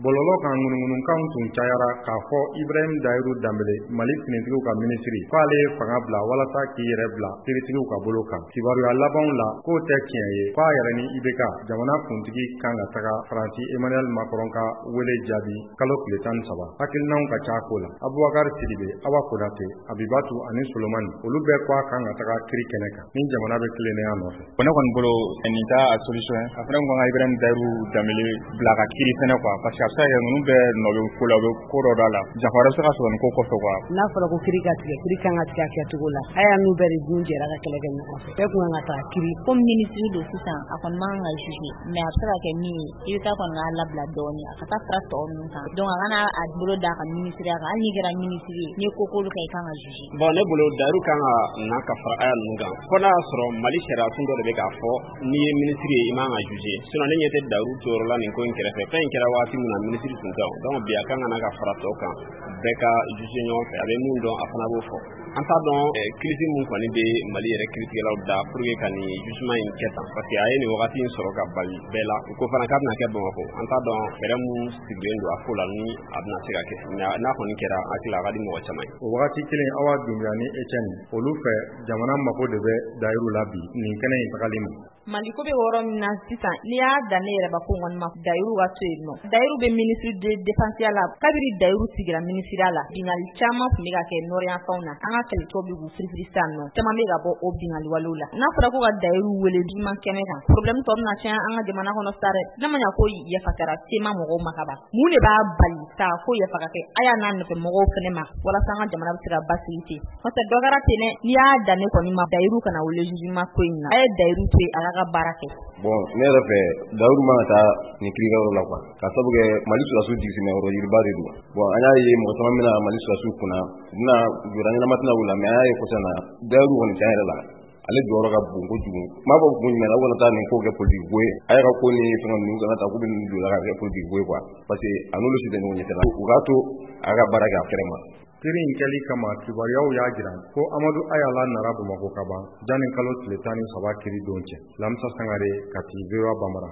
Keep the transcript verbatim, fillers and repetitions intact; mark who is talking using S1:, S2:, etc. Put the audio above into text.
S1: Bɔlɔlɔ kan, ŋunuŋunukanw tun cayara k'a fɔ Ibrahim Dayiru Danbele, Mali finitigiw ka minisiri, k'ale ye fanga bila walasa k'i yɛrɛ bila kiiritigiw ka bolo kan. Kibaruya labanw la, k'o tɛ tiɲɛ ye, k'a yɛrɛ ni I B K jamana kuntigi kan ka taga Faransi Emmanuel Macron ka wele jaabi kalo tile tan ni saba. Hakilinaw ka ca ko la. Abubakar Sidibe, Awa Konate, Abibatu ani Solomani, olu bɛɛ ko a kan ka taga kiri kɛnɛ kan ni jamana bɛ tilennenya nɔfɛ.
S2: Ne kɔni bolo, nin t'a solution ye. A fana kun kan ka Ibrahim Dayiru Danbele bila ka kiri fɛnɛ quoi, parce que a bɛ se ka kɛ ninnu bɛɛ nɔ bɛ ko la, u bɛ ko dɔ da la, janfa wɛrɛ bɛ se ka sɔrɔ nin ko kɔfɛ quoi.
S3: N'a fɔra ko kiri ka tigɛ, kiri kan ka tigɛ a kɛcogo la. A y'a n'u bɛɛ de dun jɛra ka kɛlɛ kɛ ɲɔgɔn fɛ, bɛɛ kun kan ka taa kiri.
S4: Komi minisiri don sisan, a kɔni man kan ka juger, mais a bɛ se ka kɛ min ye, i bɛ taa kɔni k'a labila dɔɔni, a ka taa fara tɔ ninnu kan. Donc a kana a bolo d'a ka minisiriya kan. Hali n'i kɛra minisiri ye, n'i ye ko k'olu kɛ, i kan ka juger.
S5: Bon, ne bolo, Dayiru kan ka na ka fara aya ninnu kan, fo n'a y'a sɔrɔ Mali sariya sun dɔ de bɛ k'a fɔ n'i ye minisiri ye, i man ka juger. Sinon ne ɲɛ tɛ Dayiru jɔyɔrɔ la nin ko in kɛrɛfɛ. Fɛn in kɛra waati min na, minisiri tun tɛ. Donc bi a kan ka na ka fara tɔw kan, bɛɛ ka juger ɲɔgɔn fɛ. A bɛ mun dɔn, a fana b'o fɔ. An t'a dɔn kilisi mun kɔni bɛ Mali yɛrɛ kiiritigɛlaw da pour que ka nin jugement in kɛ tan, parce que a ye nin wagati in sɔrɔ ka bali bɛɛ la. U ko fana k'a bɛna kɛ Bamakɔ. An t'a dɔn fɛɛrɛ mun sigilen don a ko la ni a bɛna se ka kɛ. N'a kɔni kɛra, hakili la a ka di mɔgɔ caman ye.
S1: O wagati kelen, Awa Dunbiya ni Etienne, olu fɛ, jamana mago de bɛ Dayiru la bi nin kɛnɛ in tagali ma.
S4: Maliko bɛ yɔrɔ min na sisan, n'i y'a dan ne yɛrɛbakun kɔni ma, Dayiru ka to yen nɔ. Dayiru bɛ ministre de défense la. Kabiri Dayiru sigira minisiriya la, bingali caman tun bɛ ka kɛ nord yanfanw na. An ka kɛlɛcɛw bɛ k'u firifiri sisan nɔ, caman bɛ ka bɔ o bingali walew la. N'a fɔra ko ka Dayiru wele jugement kɛnɛ kan, problème tɔ bɛna caya an ka jamana kɔnɔ sa dɛ. N'a ma ɲa ko yafa kɛra sema mɔgɔw ma ka ban, mun de b'a bali k'a ko yafa ka kɛ a y'a n'a nɔfɛ mɔgɔw fɛnɛ ma, walasa an ka jamana bɛ se ka basigi ten? N'o tɛ, dɔ kɛra ten dɛ. N'i y'a dan ne kɔni ma, Dayiru kana wele jugement ko in na. A ye Dayiru to yen, a ka ka baara kɛ.
S6: Bon, ne yɛrɛ fɛ, Dayiru man ka taa nin kiirikɛyɔrɔ la quoi, ka sabu kɛ Mali sɔrɔdasiw jigisimɛyɔrɔ yiriba de don. Bon, an y'a ye mɔgɔ caman bɛna Mali sɔrɔdasiw kunna, u bɛna jɔda ɲɛnama tɛna u la. Mais an y'a ye kɔsa in na, Dayiru kɔni, tiɲɛ yɛrɛ la, ale jɔyɔrɔ ka bon kojugu. N m'a fɔ kun jumɛn na, u kana taa nin ko kɛ politique ko ye. A yɛrɛ ko ni fɛngɛ ninnu kana ta k'u bɛ nin don la ka kɛ politique ko ye quoi, parce que a n'olu si tɛ ɲɔgɔn ɲɛ sira la. U k'a to a ka baara kɛ a fɛrɛ ma.
S1: Kiri in kɛli kama, kibaruyaw y'a jira ko Amadu Ayala nara Bamakɔ ka ban janni kalo tile tan ni saba kiri don cɛ. Lamisa Sangare, Kati, V O A Bambara.